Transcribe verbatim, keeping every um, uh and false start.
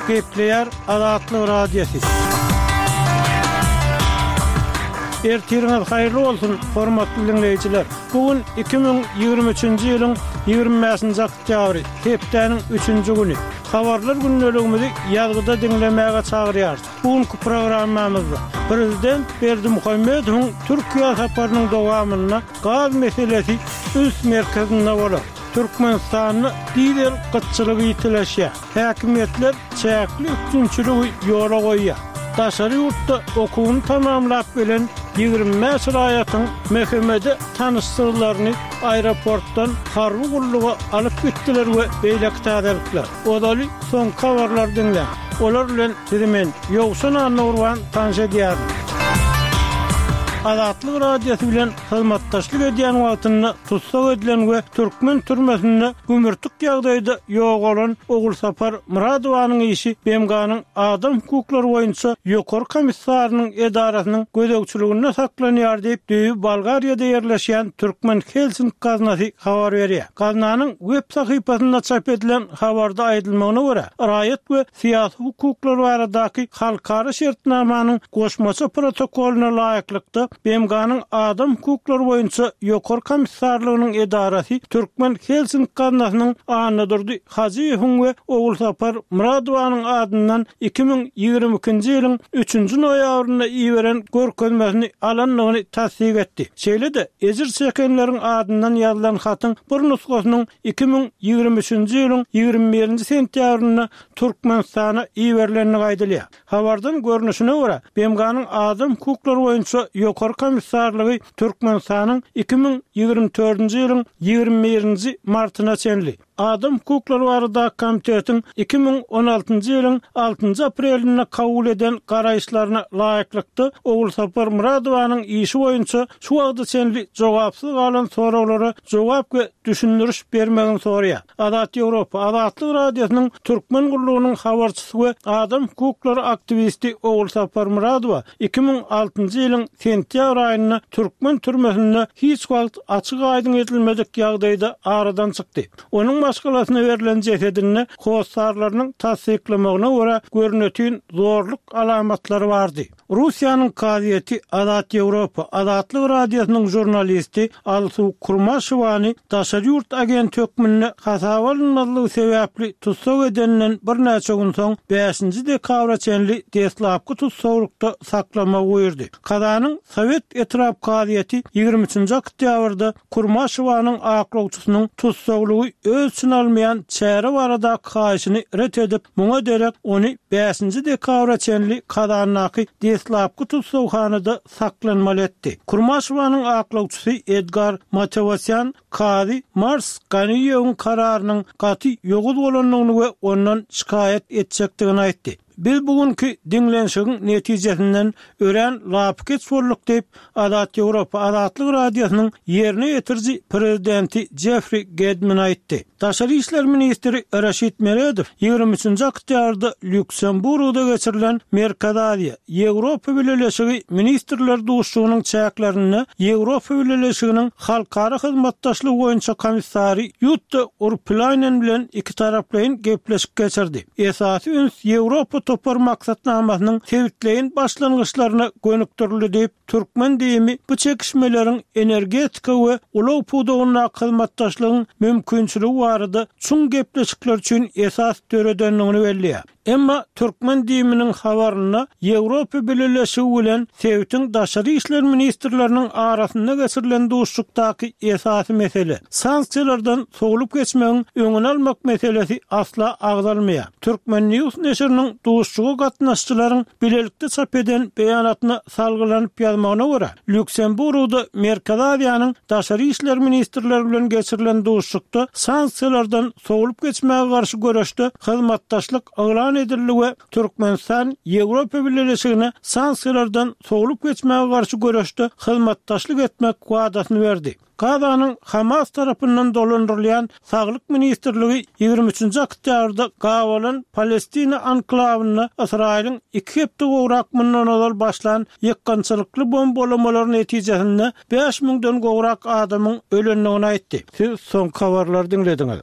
Gepleýär Azatlyk Radiosy. Ertiriňiz haýyrly bolsun, hormatly diňleýjiler! Bu gün iki müň ýigrimi üçünji ýylyň ýigrimi bäşinji oktýabry, hepdäniň üçünji güni. Habarlar gündeligimizi ýazgyda diňlemäge çagyrýarys. Bu günki programmamyzda Prezident Berdimuhamedowyň Türkiýä saparynyň dowamynda gaz meselesi üns merkezinde bolar. Türkmenistanda dizel gytçylygy ýitileşýär. Häkimiýetler çäkli üpjünçiligi ýola goýýar. Daşary ýurtda okuwyny tamamlap gelen ýigrimi bäş raýatyň M H M-de tanyşsyzlaryny aeroportdan harby gulluga alyp gitdiler we beýleki täzelikler. Ozaly soňky habarlary diňläň. Olar bilen sizi men, Ýowşan Annagurban tanyş edýärin. Azatlyk Radiosy bilen hyzmatdaşlyk edýän wagtynda tussag edilen we türkmen türmesinde gümürtik ýagdaýda ýogalan Ogulsapar Myradowanyň işi B M G-nyň Adam hukuklary boýunça Ýokary komissarynyň edarasynyň gözegçiliginde saklanýar diýip, düýbi Bolgariýada ýerleşýän Türkmen Helsinki gaznasy habar berýär. Gaznanyň web sahypasynda çap edilen habarda aýdylmagyna görä, raýat we syýasy hukuklar baradaky halkara şertnamanyň goşmaça protokolyna laýyklykda B M G-nyň Adam hukuklary boýunça Ýokary komissarlygynyň edarasy Türkmen Helsinki gaznasynyň Annadurdy Hajyýewiň we Ogulsapar Myradowanyň adyndan iki müň ýigrimi ikinji ýylyň üçünji noýabrynda iberen görkezmesini alandygyny tassyk etdi. Şeýle-de ejir çekenleriň adyndan ýazylan hatyň bir nusgasynyň iki müň ýigrimi üçünji ýylyň ýigrimi birinji sentýabrynda Türkmenistana iberilendigi aýdylýar. Habardan görnüşine görä, B M G-nyň Adam hukuklary boýunça Ýokary komissarlygy Türkmenistanyň iki müň ýigrimi dördünji ýylyň ýigrimi birinji martyna çenli Adam hukuklary baradaky komitetiň iki müň on altynjy ýylyň altynjy aprelinde kabul eden garaýyşlaryna laýyklykda Ogulsapar Myradowanyň işi boýunça şu wagta çenli jogapsyz galan soraglara jogap we düşündiriş bermegini soraýar. Azat Ýewropa, Azatlyk Radiosynyň Türkmen gullugynyň habarçysy we adam hukuklary aktiwisti Ogulsapar Myradowa iki müň altynjy ýylyň sentýabr aýynda türkmen türmesinde hiç wagt açyk-aýdyň edilmedik ýagdaýda aradan çykdy. Onuň maşgalasyna berlen jesedinde hossarlarynyň tassyklamagyna görä görnetin zorluk alamatlary bardy. Russiýanyň kazyýeti Azat Ýewropa, Azatlyk Radiosynyň žurnalisti Alsu Kurmaşewany daşary ýurt agenti hökmünde hasaba alynmazlygy sebäpli tussag edeninden birnäçe gün soň bäşinji dekabra çenli deslapky tussaglykda saklamagy buýurdy. Kazanyň Sowet etrap kazyýeti ýigrimi üçünji oktýabrda Kurmaşewanyň aklawçysynyň tussaglygy öz içine almaýan çäre baradaky haýyşyny ret edip, muňa derek ony bäşinji dekabra çenli Kazandaky deslapky tussaghanada saklanmaly etdi. Kurmaşewanyň aklawçysy Edgar Matewosýan kazy Mars Ganiýewiň kararynyň gaty ýowuz bolandygyny we ondan şikaýat etjekdigini aýtdy. Biz bugünki diňlenişigiň netijesinden örän lapykeç bolduk diýip, Azat Ýewropa, Azatlyk Radiosynyň ýerine ýetiriji prezidenti Jeffri Gedmin aýtdy. Daşary işler ministri Raşid Meredow ýigrimi üçünji oktýabrda Lýuksemburgda geçirilen Merkezi Aziýa, Ýewropa Bileleşigi ministrler duşuşygynyň çäklerinde Ýewropa Bileleşiginiň halkara hyzmatdaşlygy boýunça komissary Ýutta Urpilaýnen bilen ikitaraplaýyn gepleşik geçirdi. Esasy üns Ýewropa topar maksatnamasynyň sebitleýin başlangyçlaryna gönükdirildi diýip, Türkmen diýimi bu çekişmeleriň energetika we ulag pudagyndaky hyzmatdaşlygyň mümkinçiligi barada çuň gepleşikler üçin esas döredendigini belleýär. Emma Türkmen diýiminiň habarynda Ýewropa Bileleşigi bilen sebitiň daşary işler ministrleriniň arasynda geçirilen duşuşykdaky esasy mesele, sanksiýalardan sowlup geçmegiň öňüni almak meselesi asla agzalmaýar. Türkmen News neşiriniň duşuşyga gatnaşyjylaryň bilelikde çap eden beýanatyna salgylanyp ýazmagyna görä, Lýuksemburgda Merkezi Aziýanyň daşary işler ministrleri bilen geçirilen duşuşykda sanksiýalardan sowlup geçmäge garşy göreşde hyzmatdaşlyk yglan edildi we Türkmenistan Ýewropa Bileleşigine sanksiýalardan sowlup geçmäge garşy göreşde hyzmatdaşlyk etmek wadasyny berdi. Gazanyň Hamas tarapyndan dolandyrylýan Saglyk ministrligi ýigrimi üçünji oktýabrda gabalan Palestina anklawynda Ysraýylyň iki hepde gowrak mundan ozal başlan ýykgynçylykly bombalamalar netijesinde bäş müňden gowrak adamyň ölendigini aýtdy. Siz soňky habarlary diňlediňiz.